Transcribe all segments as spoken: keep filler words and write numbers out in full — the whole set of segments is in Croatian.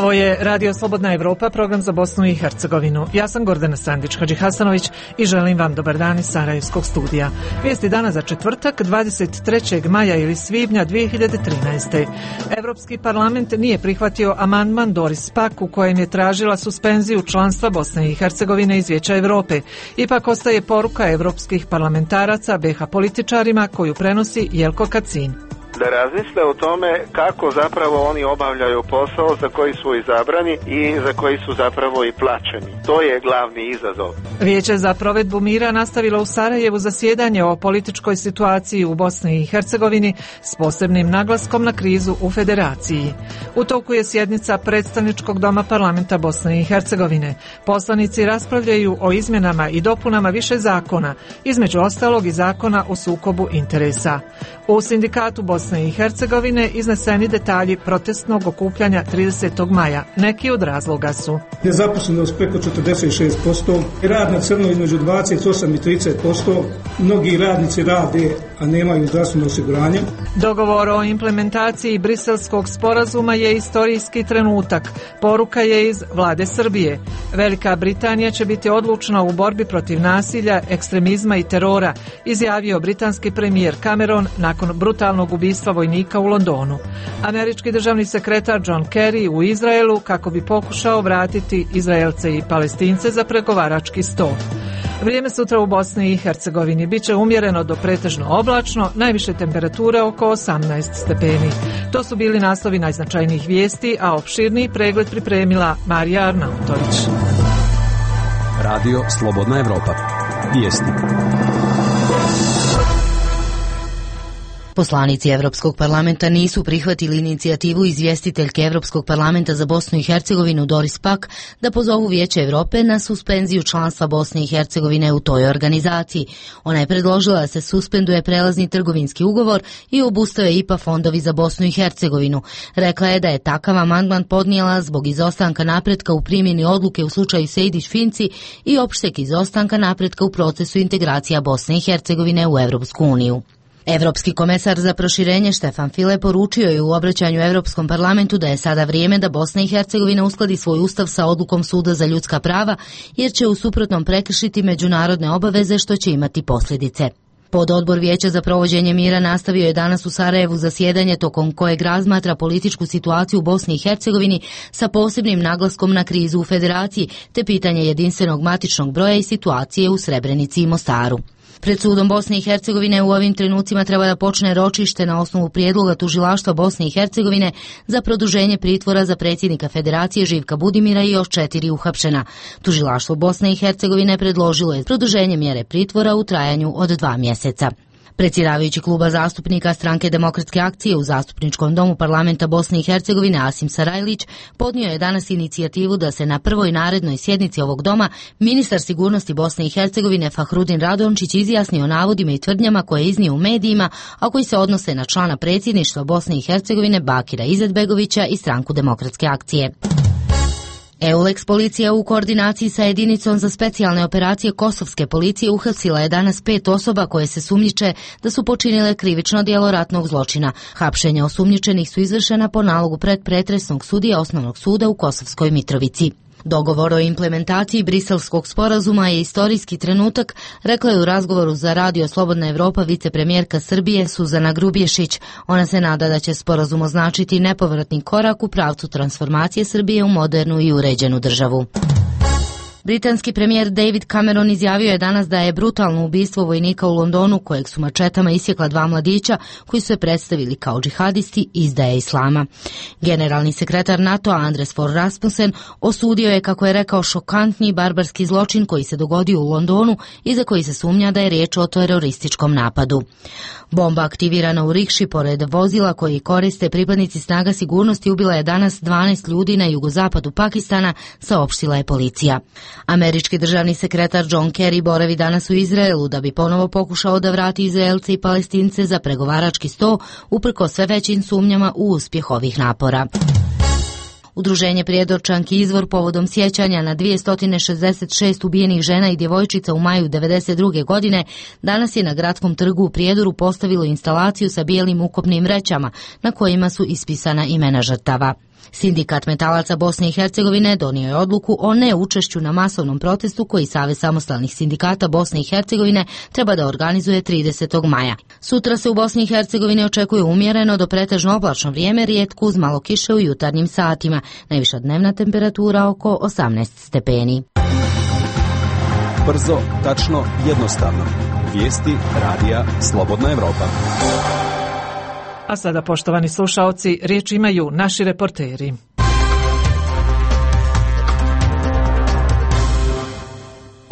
Ovo je Radio Slobodna Evropa, program za Bosnu i Hercegovinu. Ja sam Gordana Sandić-Hadžihasanović i želim vam dobar dan iz Sarajevskog studija. Vijesti dana za četvrtak, dvadeset trećeg maja ili svibnja dvije hiljade trinaeste. Evropski parlament nije prihvatio amandman Doris Pack u kojem je tražila suspenziju članstva Bosne i Hercegovine iz Vijeća Evrope. Ipak ostaje poruka evropskih parlamentaraca be ha političarima koju prenosi Jelko Kacin. Da razmisle o tome kako zapravo oni obavljaju posao za koji su izabrani i za koji su zapravo i plaćeni. To je glavni izazov. Vijeće za provedbu mira nastavilo u Sarajevu zasjedanje o političkoj situaciji u Bosni i Hercegovini s posebnim naglaskom na krizu u Federaciji. U toku je sjednica predstavničkog doma parlamenta Bosne i Hercegovine. Poslanici raspravljaju o izmjenama i dopunama više zakona, između ostalog i zakona o sukobu interesa. U sindikatu Bosne i Hercegovine izneseni detalji protestnog okupljanja tridesetog maja. Neki od razloga su: nezaposlenost preko četrdeset šest posto, rad na crno između dvadeset osam i trideset posto, mnogi radnici rade, a nemaju zdravstveno osiguranje. Dogovor o implementaciji Briselskog sporazuma je istorijski trenutak. Poruka je iz vlade Srbije. Velika Britanija će biti odlučna u borbi protiv nasilja, ekstremizma i terora, izjavio britanski premijer Cameron nakon brutalnog ubistva vojnika u Londonu. Američki državni sekretar John Kerry u Izraelu kako bi pokušao vratiti Izraelce i Palestince za pregovarački sto. Vrijeme sutra u Bosni i Hercegovini biće umjereno do pretežno oblačno, najviše temperature oko osamnaest stepeni. To su bili naslovi najznačajnijih vijesti, a opširniji pregled pripremila Marija Arnautović. Radio Slobodna Evropa. Vijesti. Poslanici Evropskog parlamenta nisu prihvatili inicijativu izvjestiteljke Evropskog parlamenta za Bosnu i Hercegovinu Doris Pack da pozovu Vijeće Evrope na suspenziju članstva Bosne i Hercegovine u toj organizaciji. Ona je predložila da se suspenduje prelazni trgovinski ugovor i obustave I P A fondovi za Bosnu i Hercegovinu. Rekla je da je takav amandman podnijela zbog izostanka napretka u primjeni odluke u slučaju Sejdić-Finci i opšteg izostanka napretka u procesu integracija Bosne i Hercegovine u Evropsku uniju. Evropski komesar za proširenje Štefan File poručio je u obraćanju Evropskom parlamentu da je sada vrijeme da Bosna i Hercegovina uskladi svoj ustav sa odlukom Suda za ljudska prava, jer će u suprotnom prekršiti međunarodne obaveze što će imati posljedice. Pododbor Vijeća za provođenje mira nastavio je danas u Sarajevu zasjedanje tokom kojeg razmatra političku situaciju u Bosni i Hercegovini sa posebnim naglaskom na krizu u Federaciji te pitanje jedinstvenog matičnog broja i situacije u Srebrenici i Mostaru. Pred sudom Bosne i Hercegovine u ovim trenucima treba da počne ročište na osnovu prijedloga tužilaštva Bosne i Hercegovine za produženje pritvora za predsjednika Federacije Živka Budimira i još četiri uhapšena. Tužilaštvo Bosne i Hercegovine predložilo je produženje mjere pritvora u trajanju od dva mjeseca. Predsjedavajući kluba zastupnika Stranke demokratske akcije u Zastupničkom domu parlamenta Bosne i Hercegovine Asim Sarajlić podnio je danas inicijativu da se na prvoj narednoj sjednici ovog doma ministar sigurnosti Bosne i Hercegovine Fahrudin Radončić izjasni o navodima i tvrdnjama koje je iznio u medijima, a koji se odnose na člana predsjedništva Bosne i Hercegovine Bakira Izetbegovića i Stranku demokratske akcije. EULEX policija u koordinaciji sa jedinicom za specijalne operacije kosovske policije uhapsila je danas pet osoba koje se sumnjiče da su počinile krivično djelo ratnog zločina. Hapšenja osumnjičenih su izvršena po nalogu predpretresnog sudija Osnovnog suda u Kosovskoj Mitrovici. Dogovor o implementaciji Briselskog sporazuma je istorijski trenutak, rekla je u razgovoru za Radio Slobodna Evropa vicepremjerka Srbije Suzana Grubješić. Ona se nada da će sporazum označiti nepovratni korak u pravcu transformacije Srbije u modernu i uređenu državu. Britanski premijer David Cameron izjavio je danas da je brutalno ubistvo vojnika u Londonu, kojeg su mačetama isjekla dva mladića koji su se predstavili kao džihadisti, izdaje islama. Generalni sekretar NATO Anders Fogh Rasmussen osudio je, kako je rekao, šokantni barbarski zločin koji se dogodio u Londonu i za koji se sumnja da je riječ o terorističkom napadu. Bomba aktivirana u rikši pored vozila koji koriste pripadnici snaga sigurnosti ubila je danas dvanaest ljudi na jugozapadu Pakistana, saopštila je policija. Američki državni sekretar John Kerry boravi danas u Izraelu da bi ponovo pokušao da vrati Izraelce i Palestince za pregovarački sto, uprkos sve većim sumnjama u uspjeh ovih napora. Udruženje Prijedorčanki Izvor povodom sjećanja na dvjesto šezdeset šest ubijenih žena i djevojčica u maju devedeset druge godine danas je na Gradskom trgu u Prijedoru postavilo instalaciju sa bijelim ukopnim vrećama na kojima su ispisana imena žrtava. Sindikat metalaca Bosne i Hercegovine donio je odluku o neučešću na masovnom protestu koji Savez samostalnih sindikata Bosne i Hercegovine treba da organizuje tridesetog maja. Sutra se u Bosni i Hercegovini očekuje umjereno do pretežno oblačno vrijeme, rijetko uz malo kiše u jutarnjim satima. Najviša dnevna temperatura oko osamnaest stepeni. Brzo, tačno, jednostavno. Vijesti radija Slobodna Evropa. A sada, poštovani slušaoci, riječ imaju naši reporteri.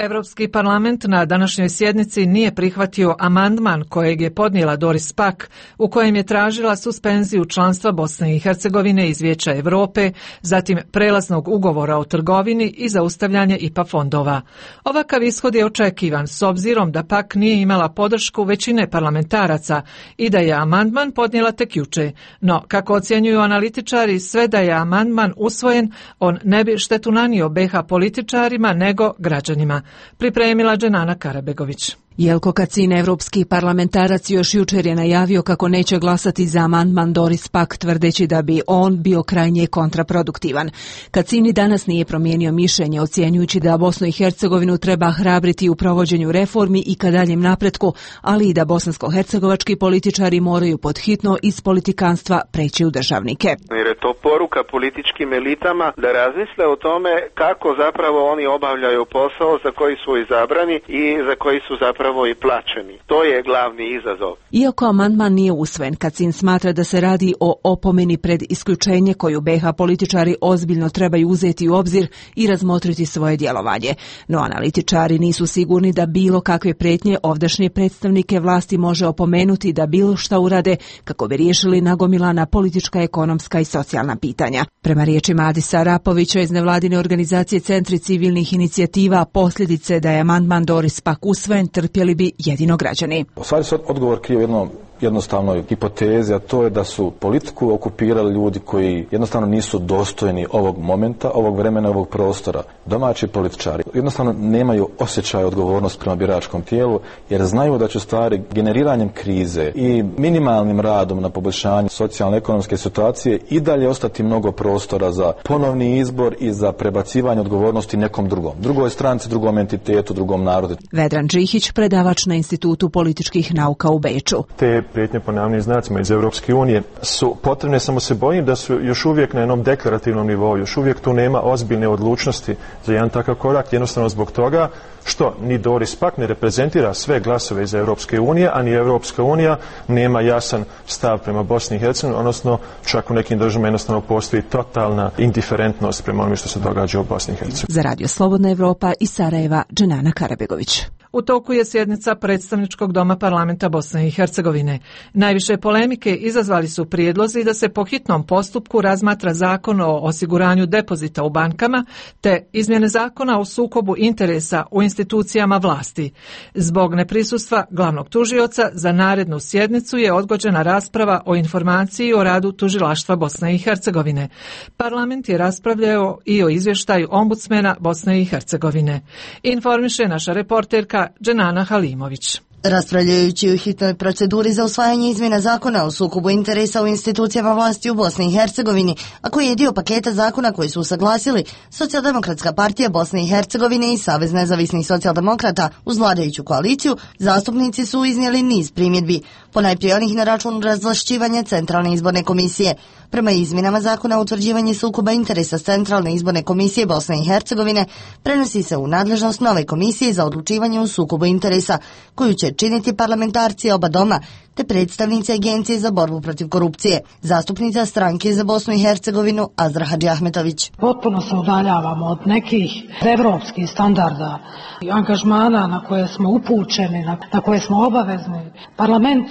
Evropski parlament na današnjoj sjednici nije prihvatio amandman kojeg je podnijela Doris Pack, u kojem je tražila suspenziju članstva Bosne i Hercegovine iz Vijeća Europe, zatim prelaznog ugovora o trgovini i zaustavljanje I P A fondova. Ovakav ishod je očekivan s obzirom da Pack nije imala podršku većine parlamentaraca i da je amandman podnijela tek juče. No, kako ocjenjuju analitičari, sve da je amandman usvojen, on ne bi štetu nanio B H političarima nego građanima. Pripremila Dženana Karabegović. Jelko Kacin, evropski parlamentarac, još jučer je najavio kako neće glasati za amandman Doris Pack, tvrdeći da bi on bio krajnje kontraproduktivan. Kacin danas nije promijenio mišljenje, ocjenjujući da Bosnu i Hercegovinu treba hrabriti u provođenju reformi i ka daljem napretku, ali i da bosansko-hercegovački političari moraju podhitno iz politikanstva preći u državnike. Jer je to poruka političkim elitama da razmisle o tome kako zapravo oni obavljaju posao za koji su izabrani i za koji su zapravo i plaćeni. To je glavni izazov. Iako amandman nije usvojen, Kacin smatra da se radi o opomeni pred isključenje koju B H političari ozbiljno trebaju uzeti u obzir i razmotriti svoje djelovanje. No analitičari nisu sigurni da bilo kakve prijetnje ovdašnje predstavnike vlasti može opomenuti da bilo šta urade kako bi riješili nagomilana politička, ekonomska i socijalna pitanja. Prema riječima Adisa Rapovića iz nevladine organizacije Centri civilnih inicijativa, posljedice da je amandman Doris Pack usvojen trpjeli bi jedino građani. U stvari se odgovor krije u jednom jednostavnoj hipotezi, a to je da su politiku okupirali ljudi koji jednostavno nisu dostojni ovog momenta, ovog vremena, ovog prostora. Domaći političari jednostavno nemaju osjećaj odgovornost prema biračkom tijelu, jer znaju da će stvari generiranjem krize i minimalnim radom na poboljšanju socijalno-ekonomske situacije i dalje ostati mnogo prostora za ponovni izbor i za prebacivanje odgovornosti nekom drugom. Drugoj stranci, drugom entitetu, drugom narodu. Vedran Džihić, predavač na Institutu političkih nauka u Beču. Te prijetnje po navodnim znacima iz Europske unije su potrebne, samo se bojim da su još uvijek na jednom deklarativnom nivou, još uvijek tu nema ozbiljne odlučnosti za jedan takav korak, jednostavno zbog toga što ni Doris Pack ne reprezentira sve glasove iz Europske unije, a ni Europska unija nema jasan stav prema Bosni i Hercegovini, odnosno čak u nekim državama jednostavno postoji totalna indiferentnost prema onome što se događa u Bosni i Hercegovini. Za Radio Slobodna Evropa iz Sarajeva, Dženana Karabegović. U toku je sjednica Predstavničkog doma parlamenta Bosne i Hercegovine. Najviše polemike izazvali su prijedlozi da se po hitnom postupku razmatra zakon o osiguranju depozita u bankama te izmjene zakona o sukobu interesa u institucijama vlasti. Zbog neprisustva glavnog tužioca za narednu sjednicu je odgođena rasprava o informaciji o radu tužilaštva Bosne i Hercegovine. Parlament je raspravljao i o izvještaju ombudsmena Bosne i Hercegovine. Informiše naša reporterka Dženana Halimović. Raspravljajući u hitnoj proceduri za usvajanje izmjena zakona o sukobu interesa u institucijama vlasti u Bosni i Hercegovini, a koji je dio paketa zakona koji su usaglasili Socijaldemokratska partija Bosne i Hercegovine i Savez nezavisnih socijaldemokrata uz vladajuću koaliciju, zastupnici su iznijeli niz primjedbi, ponajprije onih na račun razvlašćivanja Centralne izborne komisije. Prema izmjenama zakona o utvrđivanju sukoba interesa Centralne izborne komisije Bosne i Hercegovine prenosi se u nadležnost nove komisije za odlučivanje o sukobu interesa, koju će činiti parlamentarci oba doma te predstavnici Agencije za borbu protiv korupcije. Zastupnica stranke za Bosnu i Hercegovinu Azra Hadžiahmetović. Potpuno se udaljavamo od nekih evropskih standarda i angažmana na koje smo upućeni, na, na koje smo obavezni. Parlament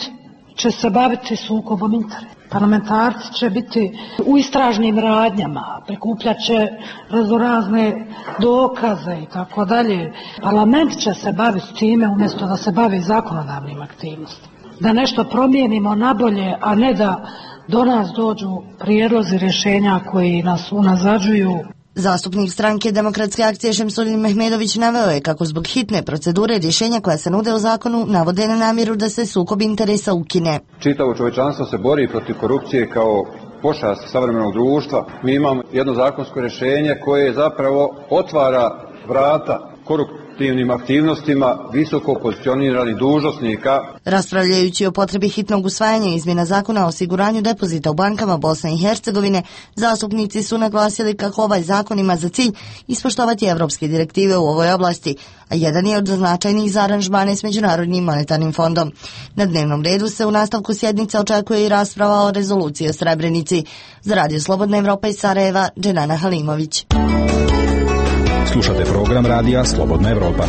će se baviti sukobom interesa. Parlamentarci će biti u istražnim radnjama, prikupljat će raznorazne dokaze i tako dalje. Parlament će se baviti time umjesto da se bavi zakonodavnim aktivnostima. Da nešto promijenimo nabolje, a ne da do nas dođu prijedlozi rješenja koji nas unazađuju. Zastupnik stranke Demokratske akcije Šemsulin Mehmedović naveo je kako zbog hitne procedure rješenja koja se nude u zakonu navode na namjeru da se sukob interesa ukine. Čitavo čovječanstvo se bori protiv korupcije kao pošast savremenog društva. Mi imamo jedno zakonsko rješenje koje zapravo otvara vrata koruptivnim aktivnostima visoko pozicioniranih dužnosnika. Raspravljajući o potrebi hitnog usvajanja izmjena zakona o osiguranju depozita u bankama Bosne i Hercegovine, zastupnici su naglasili kako ovaj zakon ima za cilj ispoštovati evropske direktive u ovoj oblasti, a jedan je od značajnih za aranžmane s Međunarodnim monetarnim fondom. Na dnevnom redu se u nastavku sjednice očekuje i rasprava o rezoluciji o Srebrenici. Za Radio Slobodna Evropa iz Sarajeva, Dženana Halimović. Slušate program Radija Slobodna Evropa.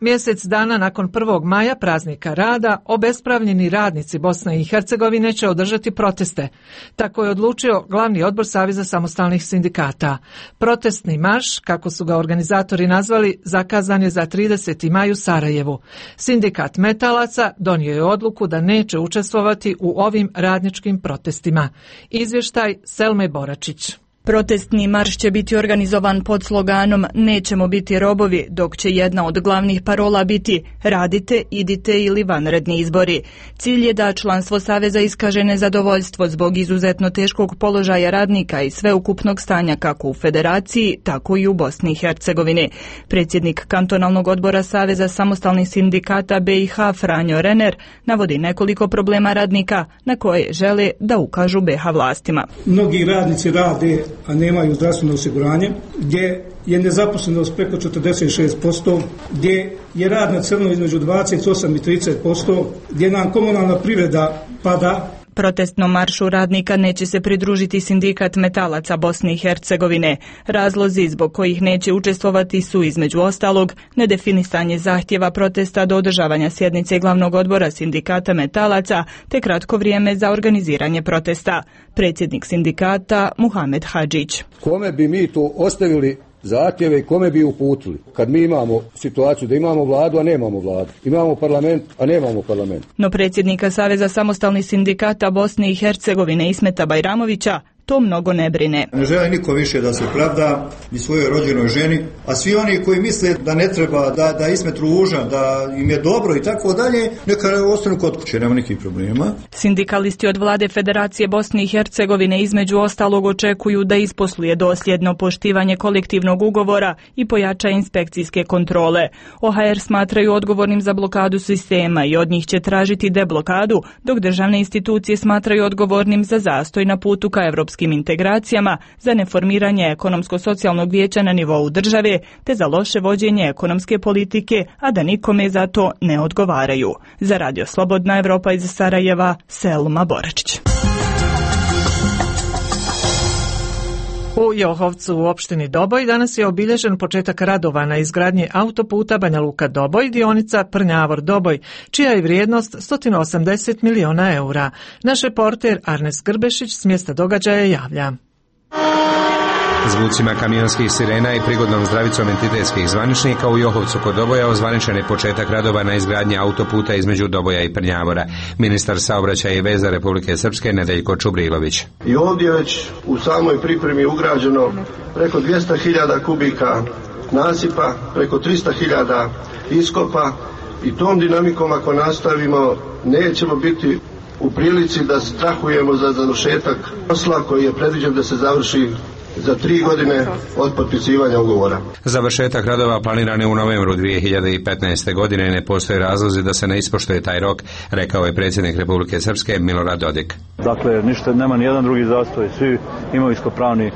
Mjesec dana nakon prvog maja, praznika rada, obespravljeni radnici Bosne i Hercegovine će održati proteste. Tako je odlučio glavni odbor Saveza samostalnih sindikata. Protestni marš, kako su ga organizatori nazvali, zakazan je za trideseti maj u Sarajevu. Sindikat metalaca donio je odluku da neće učestvovati u ovim radničkim protestima. Izvještaj Selme Boračić. Protestni marš će biti organizovan pod sloganom "Nećemo biti robovi", dok će jedna od glavnih parola biti "Radite, idite ili vanredni izbori". Cilj je da članstvo Saveza iskaže nezadovoljstvo zbog izuzetno teškog položaja radnika i sveukupnog stanja kako u Federaciji, tako i u Bosni i Hercegovini. Predsjednik kantonalnog odbora Saveza samostalnih sindikata B i H Franjo Renner navodi nekoliko problema radnika na koje žele da ukažu B H vlastima. Mnogi radnici rade, a nemaju zdravstveno osiguranje, gdje je nezaposlenost preko četrdeset šest posto, gdje je rad na crno između dvadeset osam i trideset posto, gdje nam komunalna privreda pada. Protestnom maršu radnika neće se pridružiti sindikat metalaca Bosne i Hercegovine. Razlozi zbog kojih neće učestvovati su između ostalog nedefinisanje zahtjeva protesta do održavanja sjednice glavnog odbora sindikata metalaca te kratko vrijeme za organiziranje protesta. Predsjednik sindikata Muhamed Hadžić. Kome bi mi to ostavili zahtjeve i kome bi uputili kad mi imamo situaciju da imamo vladu, a nemamo vladu, imamo parlament, a nemamo parlament. No predsjednika Saveza samostalnih sindikata Bosne i Hercegovine Ismeta Bajramovića to mnogo ne brine. Ne želi niko više da se pravda ni svojoj rođenoj ženi, a svi oni koji misle da ne treba, da, da Ismet ružan, da im je dobro i tako dalje, neka ostanu kod kuće, nema nikakvih problema. Sindikalisti od vlade Federacije Bosne i Hercegovine između ostalog očekuju da isposluje dosljedno poštivanje kolektivnog ugovora i pojača inspekcijske kontrole. O H R smatraju odgovornim za blokadu sistema i od njih će tražiti deblokadu, dok državne institucije smatraju odgovornim za zastoj na putu ka evropskim integracijama, za neformiranje ekonomsko-socijalnog vijeća na nivou države, te za loše vođenje ekonomske politike, a da nikome za to ne odgovaraju. Za Radio Slobodna Evropa iz Sarajeva, Selma Boračić. U Johovcu u opštini Doboj danas je obilježen početak radova na izgradnji autoputa Banja Luka Doboj, dionica Prnjavor Doboj, čija je vrijednost sto osamdeset miliona eura. Naš reporter Arnes Grbešić s mjesta događaja javlja. Zvucima kamionskih sirena i prigodnom zdravicom entitetskih zvaničnika u Johovcu kod Doboja ozvaničen je početak radova na izgradnji autoputa između Doboja i Prnjavora. Ministar saobraćaja i veza Republike Srpske Nedeljko Čubrilović. I ovdje već u samoj pripremi ugrađeno preko dvjesto hiljada kubika nasipa, preko tristo hiljada iskopa i tom dinamikom ako nastavimo nećemo biti u prilici da strahujemo za završetak posla koji je predviđen da se završi za tri godine od potpisivanja ugovora. Završetak radova planiran je u novembru dvije hiljade petnaeste. godine i ne postoje razlozi da se ne ispoštuje taj rok, rekao je predsjednik Republike Srpske Milorad Dodik. Dakle, ništa, nema ni jedan drugi zastoj, svi imovinsko-pravni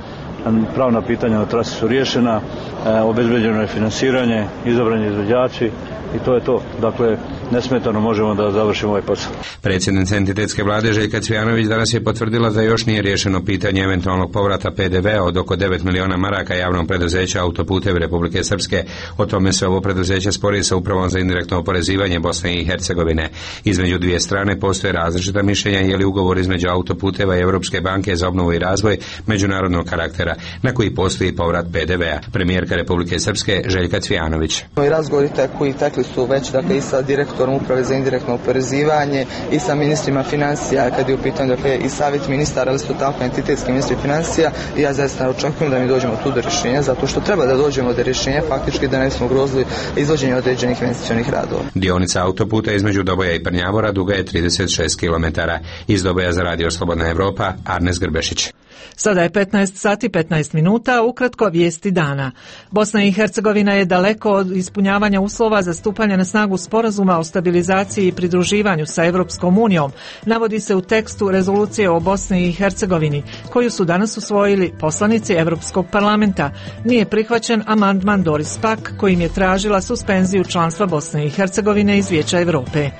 pravna pitanja na trasi su riješena, e, obezbeđeno je finansiranje, izabrani izvođači i to je to. Dakle, nesmetano možemo da završimo ovaj posao. Predsjednica entitetske vlade Željka Cvijanović danas je potvrdila da još nije riješeno pitanje eventualnog povrata P D V-a od oko devet miliona maraka javnog preduzeća Autoputevi Republike Srpske. O tome se ovo preduzeće spori sa Upravom za indirektno oporezivanje Bosne i Hercegovine. Između dvije strane postoje različita mišljenja je li ugovor između Autoputeva i Europske banke za obnovu i razvoj međunarodnog karaktera, na koji postoji povrat P D V-a. Premijerka predsjednika Republike Srpske Željka Cvijanovića. I razgovori koji tekli su već dakle, i sa direktorom uprave za indirektno oporezivanje i sa ministrima financija kad je u pitanju dakle, i savjet ministara, ali su tako entitetski ministri financija i ja zaista očekujem da mi dođemo tu do rješenja zato što treba da dođemo do rješenja faktički da ne smo ugrozili izvođenje određenih investicionih radova. Dionica autoputa između Doboja i Prnjavora duga je trideset šest kilometara. Iz Doboja za Radio Slobodna Evropa, Arnes Grbešić. Sada je petnaest sati petnaest minuta, ukratko vijesti dana. Bosna i Hercegovina je daleko od ispunjavanja uslova za stupanje na snagu sporazuma o stabilizaciji i pridruživanju sa Evropskom unijom, navodi se u tekstu rezolucije o Bosni i Hercegovini, koju su danas usvojili poslanici Evropskog parlamenta. Nije prihvaćen amandman Doris Pack, kojim je tražila suspenziju članstva Bosne i Hercegovine iz Vijeća Europe.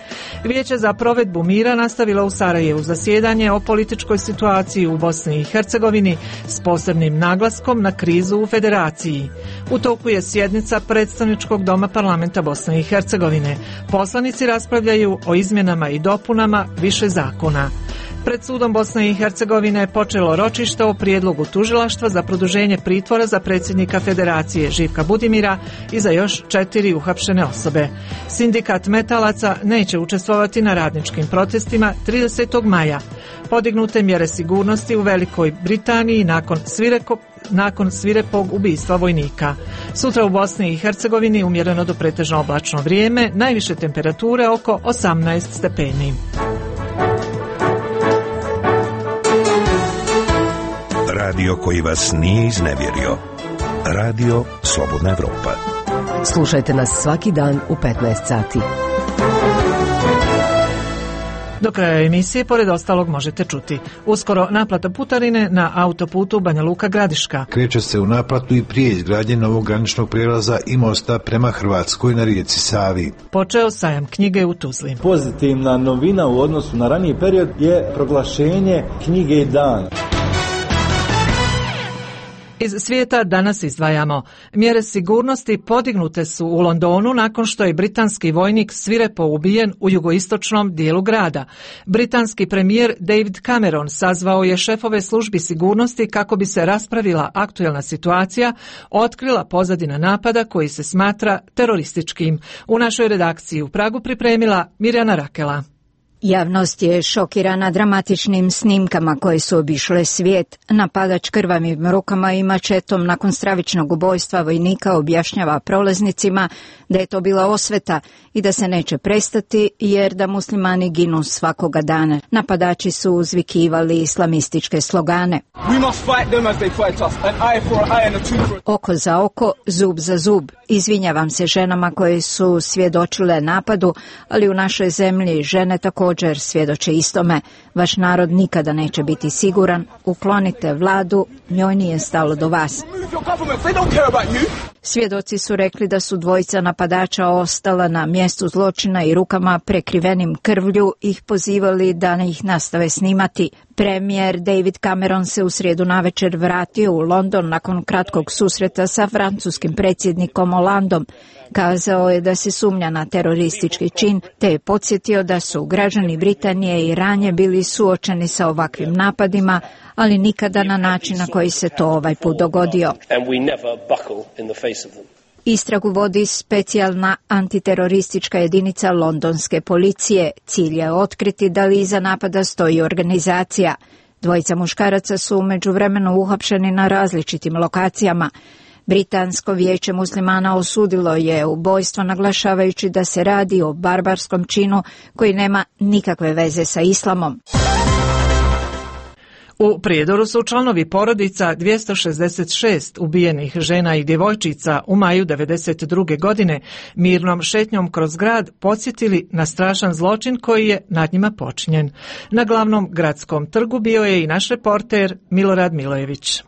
Vijeće za provedbu mira nastavilo u Sarajevu zasjedanje o političkoj situaciji u Bosni i Hercegovini s posebnim naglaskom na krizu u federaciji. U toku je sjednica predstavničkog doma parlamenta Bosne i Hercegovine. Poslanici raspravljaju o izmjenama i dopunama više zakona. Pred sudom Bosne i Hercegovine je počelo ročište o prijedlogu tužilaštva za produženje pritvora za predsjednika Federacije Živka Budimira i za još četiri uhapšene osobe. Sindikat metalaca neće učestvovati na radničkim protestima tridesetog maja. Podignute mjere sigurnosti u Velikoj Britaniji nakon svireko, nakon svirepog ubistva vojnika. Sutra u Bosni i Hercegovini umjereno do pretežno oblačno vrijeme, najviše temperature oko osamnaest stepeni. Radio koji vas nije iznevjerio. Radio Slobodna Evropa. Slušajte nas svaki dan u petnaest sati. Do kraja emisije, pored ostalog, možete čuti. Uskoro naplata putarine na autoputu Banja Luka Gradiška. Kreće se u naplatu i prije izgradnje novog graničnog prijelaza i mosta prema Hrvatskoj na rijeci Savi. Počeo sajam knjige u Tuzli. Pozitivna novina u odnosu na raniji period je proglašenje knjige dana. Iz svijeta danas izdvajamo. Mjere sigurnosti podignute su u Londonu nakon što je britanski vojnik svirepo ubijen u jugoistočnom dijelu grada. Britanski premijer David Cameron sazvao je šefove službi sigurnosti kako bi se raspravila aktuelna situacija, otkrila pozadina napada koji se smatra terorističkim. U našoj redakciji u Pragu pripremila Mirjana Rakela. Javnost je šokirana dramatičnim snimkama koje su obišle svijet. Napadač krvavim rukama i mačetom nakon stravičnog ubojstva vojnika objašnjava prolaznicima da je to bila osveta i da se neće prestati jer da muslimani ginu svakoga dana. Napadači su uzvikivali islamističke slogane. Oko za oko, zub za zub. Izvinjavam se ženama koje su svjedočile napadu, ali u našoj zemlji žene također svjedoče istome. Vaš narod nikada neće biti siguran. Uklonite vladu, njoj nije stalo do vas. Svjedoci su rekli da su dvojica napadača ostala na mjestu zločina i rukama prekrivenim krvlju ih pozivali da ih nastave snimati. Premijer David Cameron se u srijedu navečer vratio u London nakon kratkog susreta sa francuskim predsjednikom Hollandom. Kazao je da se sumnja na teroristički čin, te je podsjetio da su građani Britanije i ranije bili suočeni sa ovakvim napadima, ali nikada na način na koji se to ovaj put dogodio. Istragu vodi specijalna antiteroristička jedinica londonske policije. Cilj je otkriti da li iza napada stoji organizacija. Dvojica muškaraca su u međuvremenu uhapšeni na različitim lokacijama. Britansko vijeće muslimana osudilo je ubojstvo naglašavajući da se radi o barbarskom činu koji nema nikakve veze sa islamom. U Prijedoru su članovi porodica dvjesto šezdeset šest ubijenih žena i djevojčica u maju devedeset druge godine mirnom šetnjom kroz grad podsjetili na strašan zločin koji je nad njima počinjen. Na glavnom gradskom trgu bio je i naš reporter Milorad Milojević.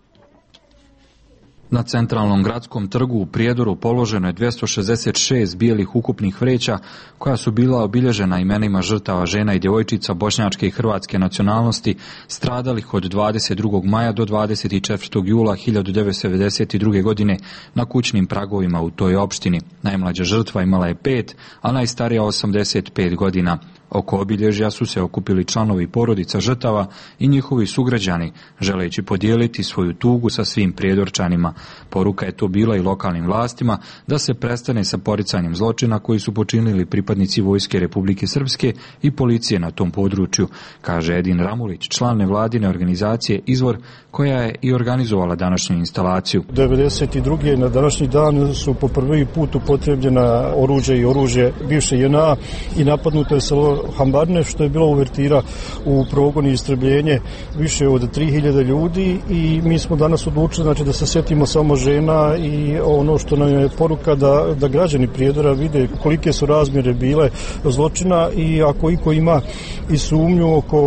Na centralnom gradskom trgu u Prijedoru položeno je dvjesto šezdeset šest bijelih ukupnih vreća koja su bila obilježena imenima žrtava žena i djevojčica bošnjačke i hrvatske nacionalnosti stradalih od dvadeset drugog maja do dvadeset četvrtog jula hiljadu devetsto devedeset druge. godine na kućnim pragovima u toj opštini. Najmlađa žrtva imala je pet, a najstarija osamdeset pet godina. Oko obilježja su se okupili članovi porodica žrtava i njihovi sugrađani, želeći podijeliti svoju tugu sa svim prijedorčanima. Poruka je to bila i lokalnim vlastima da se prestane sa poricanjem zločina koji su počinili pripadnici Vojske Republike Srpske i policije na tom području, kaže Edin Ramulić, član nevladine organizacije Izvor, koja je i organizovala današnju instalaciju. devedeset druge na današnji dan su po prvi put upotrebljena oružje i oružje bivše J N A i napadnuto je selo Hambarne, što je bilo uvertira u progon i istrebljenje više od tri hiljade ljudi, i mi smo danas odlučili, znači, da se sjetimo samo žena i ono što nam je poruka da, da građani Prijedora vide kolike su razmjere bile zločina, i ako iko ima i sumnju oko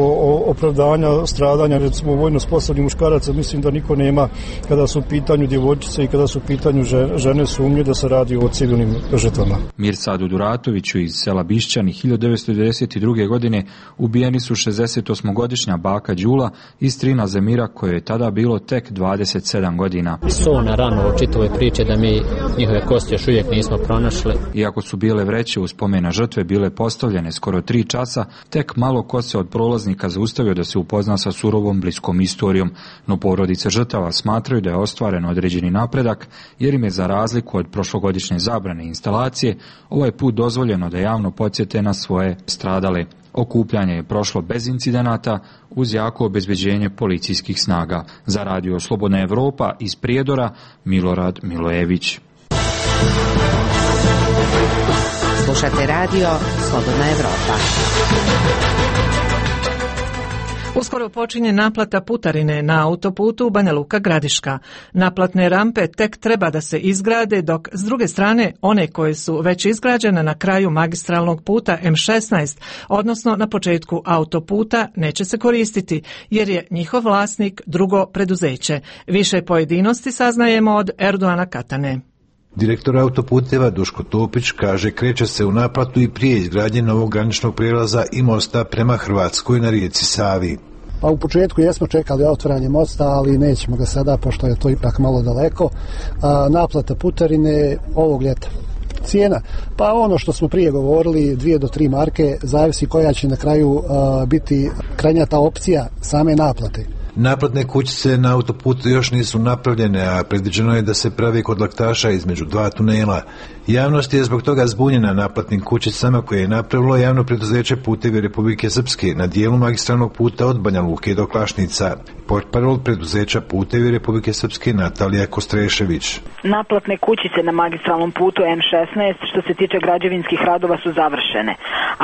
opravdanja stradanja, recimo vojno sposobnih muškaraca, mislim da niko nema kada su u pitanju djevojčice i kada su u pitanju žene sumnje da se radi o civilnim žrtvama. Mirsadu Duratoviću iz sela Bišćani hiljadu devetsto devedeset druge. godine ubijeni su šezdesetosmogodišnja baka Đula i strina Zemira, koje je tada bilo tek dvadeset sedam godina. So na ranu u čitavoj priče da mi njihove kosti još uvijek nismo pronašli. Iako su bile vreće u spomena žrtve bile postavljene skoro tri časa, tek malo ko se od prolaznika zaustavio da se upozna sa surovom bliskom istorijom, no porodice žrtava smatraju da je ostvaren određeni napredak, jer im je za razliku od prošlogodišnje zabrane instalacije ovaj put dozvoljeno da javno podsjete na svoje stradale. Okupljanje je prošlo bez incidenata uz jako obezbeđenje policijskih snaga. Za Radio Slobodna Evropa iz Prijedora, Milorad Milojević. Slušate Radio Slobodna Evropa. Uskoro počinje naplata putarine na autoputu Banja Luka Gradiška. Naplatne rampe tek treba da se izgrade, dok s druge strane one koje su već izgrađene na kraju magistralnog puta M šesnaest, odnosno na početku autoputa, neće se koristiti, jer je njihov vlasnik drugo preduzeće. Više pojedinosti saznajemo od Erdoana Katane. Direktor autoputeva Duško Topić kaže kreće se u naplatu i prije izgradnje novog graničnog prijelaza i mosta prema Hrvatskoj na rijeci Savi. Pa u početku jesmo čekali otvaranje mosta, ali nećemo ga sada, pošto je to ipak malo daleko. A, naplata putarine ovog ljeta. Cijena, pa ono što smo prije govorili, dvije do tri marke, zavisi koja će na kraju a, biti krajnja ta opcija same naplate. Naplatne kućice na autoputu još nisu napravljene, a predviđeno je da se pravi kod Laktaša između dva tunela. Javnost je zbog toga zbunjena naplatnim kućicama koje je napravilo javno preduzeće Putevi Republike Srpske na dijelu magistralnog puta od Banja Luke do Klašnica. Portparol preduzeća Putevi Republike Srpske Natalija Kostrešević. Naplatne kućice na magistralnom putu M šesnaest što se tiče građevinskih radova su završene,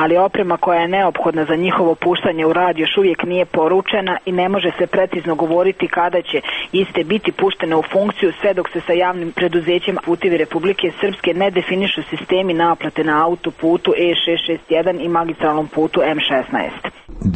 ali oprema koja je neophodna za njihovo puštanje u rad još uvijek nije poručena i ne može se precizno govoriti kada će iste biti puštene u funkciju, sve dok se sa javnim preduzećem Putevi Republike Srpske ne definišu sistemi naplate na autoputu E šest šest jedan i magistralnom putu M šesnaest.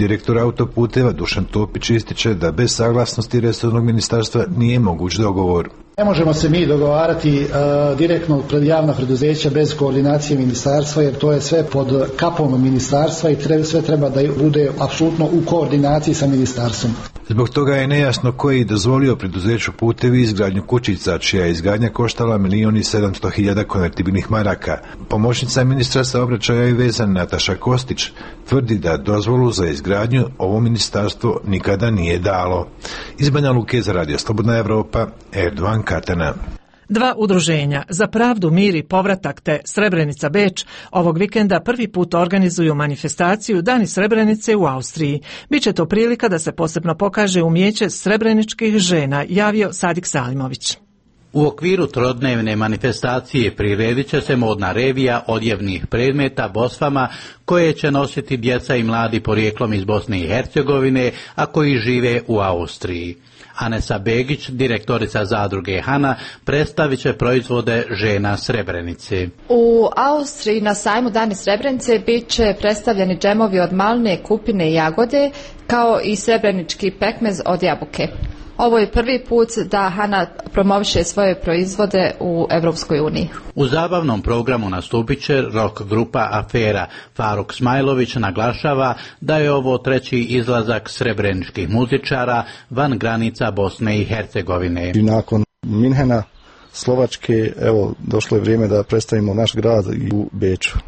Direktor autoputeva Dušan Topić ističe da bez saglasnosti resornog ministarstva nije moguć dogovor. Ne možemo se mi dogovarati uh, direktno pred javna preduzeća bez koordinacije ministarstva, jer to je sve pod kapom ministarstva i treba, sve treba da bude apsolutno u koordinaciji sa ministarstvom. Zbog toga je nejasno koji je dozvolio preduzeću Putevi izgradnju kućica, čija je izgradnja koštala milijon i sedamsto hiljada konvertibilnih maraka. Pomoćnica ministra saobraćaja i veza Nataša Kostić tvrdi da dozvolu za izgradnju ovo ministarstvo nikada nije dalo. Iz Banja Luke za Radio Slobodna Evropa, Erdoan Katana. Dva udruženja za pravdu, mir i povratak te Srebrenica Beč ovog vikenda prvi put organizuju manifestaciju Dani Srebrenice u Austriji. Biće to prilika da se posebno pokaže umijeće srebreničkih žena, javio Sadik Salimović. U okviru trodnevne manifestacije priredit će se modna revija odjevnih predmeta bosvama koje će nositi djeca i mladi porijeklom iz Bosne i Hercegovine, a koji žive u Austriji. Anesa Begić, direktorica zadruge Hana, predstavit će proizvode žena Srebrenice. U Austriji na sajmu Dani Srebrenice bit će predstavljeni džemovi od malne, kupine i jagode, kao i srebrenički pekmez od jabuke. Ovo je prvi put da Hana promoviše svoje proizvode u Evropskoj uniji. U zabavnom programu nastupit će rock grupa Afera. Faruk Smajlović naglašava da je ovo treći izlazak srebreničkih muzičara van granica Bosne i Hercegovine. I nakon Minhena, Slovačke, evo, došlo je vrijeme da predstavimo naš grad i u Beču.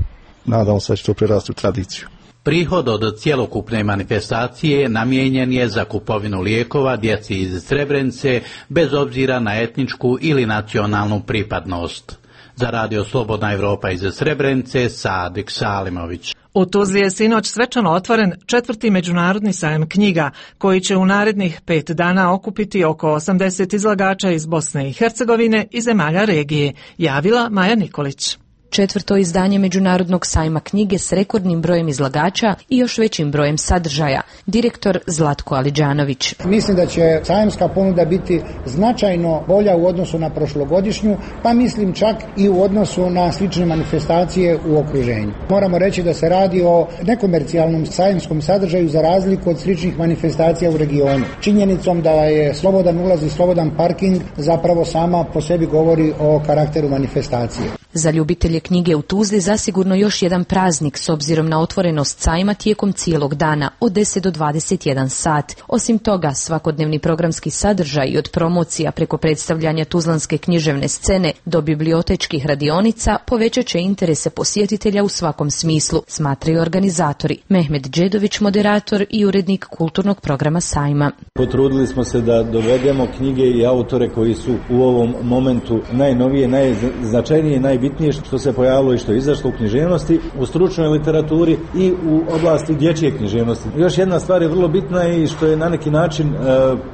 Nadamo se da će to prerasti u tradiciju. Prihod od cjelokupne manifestacije namijenjen je za kupovinu lijekova djeci iz Srebrenice bez obzira na etničku ili nacionalnu pripadnost. Za Radio Slobodna Evropa iz Srebrenice, Sadik Salimović. U Tuzli je sinoć svečano otvoren četvrti međunarodni sajam knjiga, koji će u narednih pet dana okupiti oko osamdeset izlagača iz Bosne i Hercegovine i zemalja regije, javila Maja Nikolić. Četvrto izdanje Međunarodnog sajma knjige s rekordnim brojem izlagača i još većim brojem sadržaja. Direktor Zlatko Aliđanović. Mislim da će sajamska ponuda biti značajno bolja u odnosu na prošlogodišnju, pa mislim čak i u odnosu na slične manifestacije u okruženju. Moramo reći da se radi o nekomercijalnom sajamskom sadržaju za razliku od sličnih manifestacija u regionu. Činjenicom da je slobodan ulaz i slobodan parking zapravo sama po sebi govori o karakteru manifestacije. Za ljubitelje knjige u Tuzli zasigurno još jedan praznik s obzirom na otvorenost sajma tijekom cijelog dana od deset do dvadeset jedan sat. Osim toga, svakodnevni programski sadržaj od promocija preko predstavljanja tuzlanske književne scene do bibliotečkih radionica povećat će interese posjetitelja u svakom smislu, smatraju organizatori. Mehmet Đedović, moderator i urednik kulturnog programa sajma. Potrudili smo se da dovedemo knjige i autore koji su u ovom momentu najnovije, najznačajnije, najbitnije što se pojavilo i što je izašlo u književnosti, u stručnoj literaturi i u oblasti dječje književnosti. Još jedna stvar je vrlo bitna i što je na neki način e,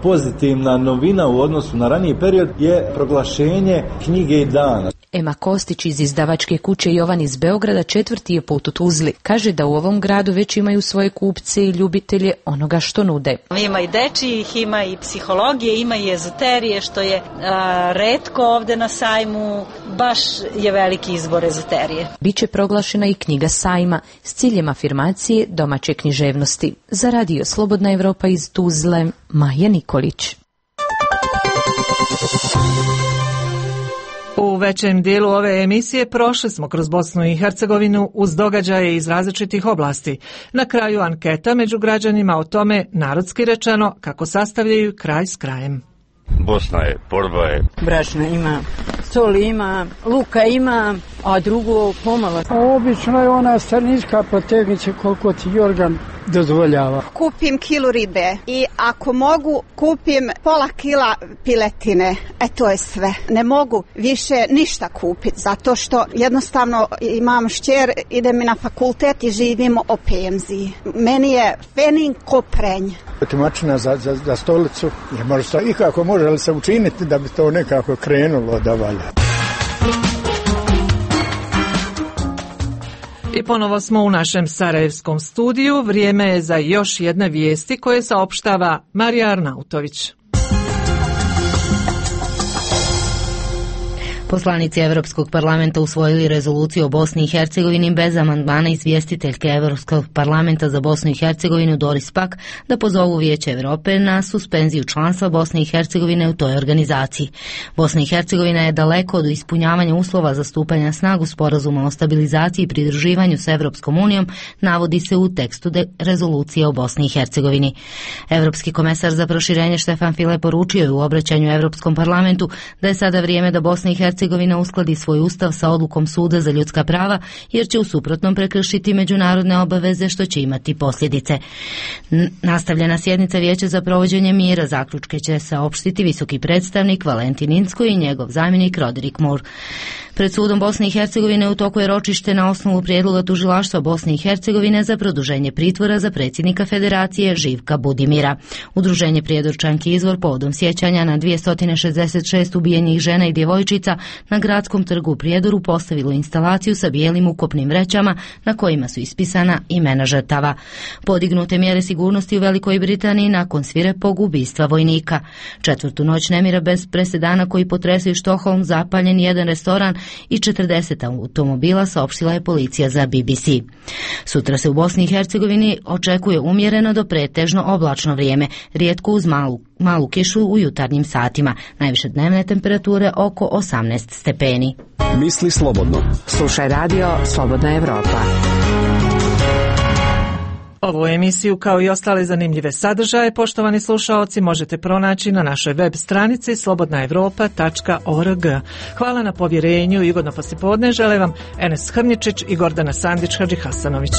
pozitivna novina u odnosu na raniji period je proglašenje knjige i dana. Ema Kostić iz izdavačke kuće Jovan iz Beograda četvrti je put u Tuzli. Kaže da u ovom gradu već imaju svoje kupce i ljubitelje onoga što nude. Ima i dečijih, ima i psihologije, ima i ezoterije, što je a, retko ovde na sajmu, baš je veliki izbor ezoterije. Biće proglašena i knjiga sajma s ciljem afirmacije domaće književnosti. Za Radio Slobodna Evropa iz Tuzle, Maja Nikolić. U većem dijelu ove emisije prošli smo kroz Bosnu i Hercegovinu uz događaje iz različitih oblasti. Na kraju anketa među građanima o tome, narodski rečeno, kako sastavljaju kraj s krajem. Bosna je, borba je. Brašna ima, soli ima, luka ima, a drugo pomalo. Obično je ona stranička potegnice koliko ti organ dozvoljava. Kupim kilu ribe i ako mogu kupim pola kila piletine. E to je sve. Ne mogu više ništa kupiti zato što jednostavno imam šćer, idem na fakultet i živimo o penziji. Meni je fenin koprenj. Otimačina za, za, za stolicu je možda i kako može li se učiniti da bi to nekako krenulo da valja. I ponovo smo u našem sarajevskom studiju. Vrijeme je za još jedne vijesti koje saopštava Marija Arnautović. Poslanici Evropskog parlamenta usvojili rezoluciju o Bosni i Hercegovini bez amandmana izvjestiteljke Evropskog parlamenta za Bosnu i Hercegovinu Doris Pack da pozovu Vijeće Europe na suspenziju članstva Bosne i Hercegovine u toj organizaciji. Bosna i Hercegovina je daleko od ispunjavanja uslova za stupanje na snagu sporazuma o stabilizaciji i pridruživanju s Evropskom unijom, navodi se u tekstu rezolucije o Bosni i Hercegovini. Evropski komesar za proširenje Štefan File poručio je u obraćanju Evropskom parlamentu da je sada vrijeme da Bosna i Hercegovina Hercegovina uskladi svoj ustav sa odlukom Suda za ljudska prava, jer će u suprotnom prekršiti međunarodne obaveze što će imati posljedice. Nastavljena sjednica Vijeća za provođenje mira, zaključke će saopštiti visoki predstavnik Valentin Inzko i njegov zamjenik Roderick Moore. Pred sudom Bosne i Hercegovine u toku je ročište na osnovu prijedloga tužilaštva Bosne i Hercegovine za produženje pritvora za predsjednika Federacije Živka Budimira. Udruženje Prijedorčanki Izvor povodom sjećanja na dvjesto šezdeset šest ubijenih žena i djevojčica na gradskom trgu u Prijedoru postavilo instalaciju sa bijelim ukopnim vrećama na kojima su ispisana imena žrtava. Podignute mjere sigurnosti u Velikoj Britaniji nakon svirepog ubistva vojnika. Četvrtu noć nemira bez presedana koji potresaju Štokholm, zapaljen jedan restoran i četrdeset automobila, saopštila je policija za B B C. Sutra se u Bosni i Hercegovini očekuje umjereno do pretežno oblačno vrijeme, rijetko uz malu, malu kišu u jutarnjim satima. Najviše dnevne temperature oko osamnaest stepeni. Misli slobodno. Slušaj radio Slobodna Evropa. Ovu emisiju kao i ostale zanimljive sadržaje, poštovani slušaoci, možete pronaći na našoj web stranici slobodna evropa tačka org. Hvala na povjerenju i ugodno poslijepodne žele vam Enes Hrnjičić i Gordana Sandić Hadžihasanović.